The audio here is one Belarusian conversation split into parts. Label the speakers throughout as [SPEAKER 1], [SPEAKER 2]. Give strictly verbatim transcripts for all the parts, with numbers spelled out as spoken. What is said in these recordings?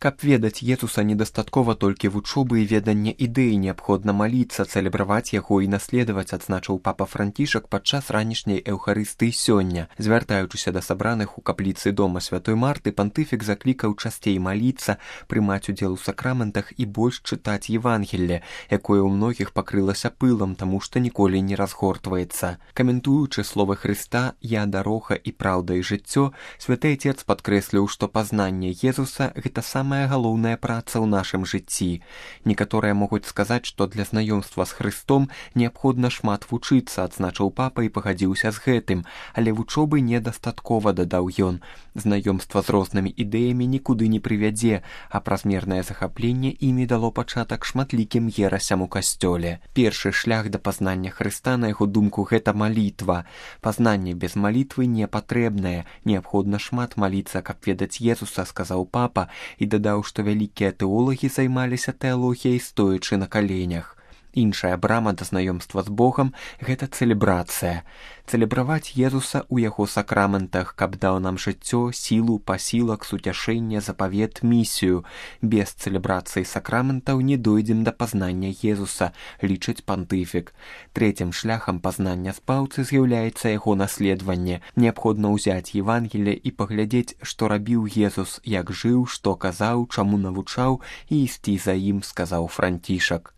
[SPEAKER 1] Каб ведаць Езуса недастаткова толькі вучобы і ведання ідэі, неабходна маліцца, цэлебраваць яго і наследаваць, адзначыў папа Францішак падчас ранішняй эўхарыстыі сёння. Звяртаючыся да сабраных у капліцы дома святой Марты, пантыфік заклікаў часцей маліцца, прымаць удзел у сакраментах і больш чытаць Евангелле, якое ў многіх пакрылася пылам, таму што ніколі не разгортваецца. Каментуючы словы Хрыста «Я дарога і праўда і жыццё», святы Отец падкрэсліў, што пазнанне Езуса – гэта самая галоўная праца ў нашым жыцці. Некаторыя могуць сказаць, што для знаёмства з Хрыстом неабходна шмат вучыцца, адзначыў папа і пагадзіўся з гэтым, але вучобы недастаткова, дадаў ён. Знаёмства з рознымі ідэямі нікуды не прывядзе, а празмернае захапленне імі дало пачатак шматлікім ерасям у касцёле. Першы шлях да пазнання Хрыста, на яго думку, гэта малітва. Пазнанне без малітвы не патрэбнае, неабходна шмат маліцца, каб ведаць Езуса, сказаў папа, і дадаў, што вялікія тэолагі займаліся тэалогіяй стоячы на каленях. Іншая брама да знаёмства з Богам – гэта цэлебрацыя. Цэлебраваць Езуса ў яго сакраментах, каб даў нам жыццё, сілу, пасілак, суцяшэнне, запавет, місію. Без цэлебрацыі сакраментаў не дойдзем да пазнання Езуса, лічыць пантыфік. Трэцім шляхам пазнання спаўцы з'яўляецца яго наследаванне. Неабходна ўзяць Евангелле і паглядзець, што рабіў Езус, як жыў, што казаў, чаму навучаў і ісці за ім, сказаў Францішак.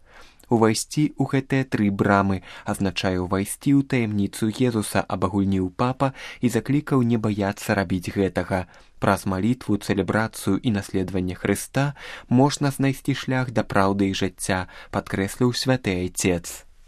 [SPEAKER 1] Увайсці ў гэтыя тры брамы, азначае ўвайсці ў таямніцу Езуса, абагульніў папа і заклікаў не баяцца рабіць гэтага. Праз малітву, цэлебрацыю і наследаванне Хрыста можна знайсці шлях да праўды і жыцця, падкрэсліў святы Айцец.